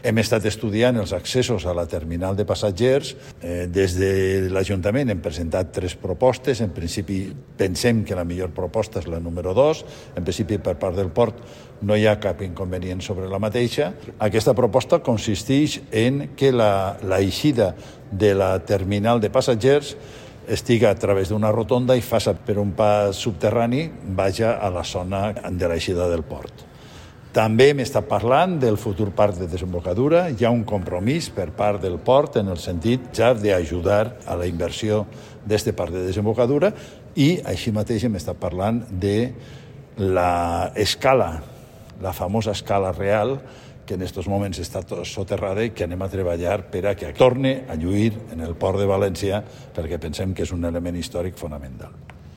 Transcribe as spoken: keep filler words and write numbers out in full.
Hem estat estudiant els accessos a la terminal de passatgers. Eh, des de l'Ajuntament hem presentat tres propostes. En principi pensem que la millor proposta és la número dos. En principi, per part del port, no hi ha cap inconvenient sobre la mateixa. Aquesta proposta consisteix en que la, la eixida de la terminal de passatgers estiga a través d'una rotonda i faça per un pas subterrani, vaja a la zona de l'eixida del port. També hem estat parlant del futur parc de desembocadura. Hi ha un compromís per part del port en el sentit ja d'ajudar a la inversió d'aquest parc de desembocadura i així mateix hem estat parlant de l'escala, la famosa escala real, que en aquests moments està soterrada i que anem a treballar per a que torni a lluir en el port de València perquè pensem que és un element històric fonamental.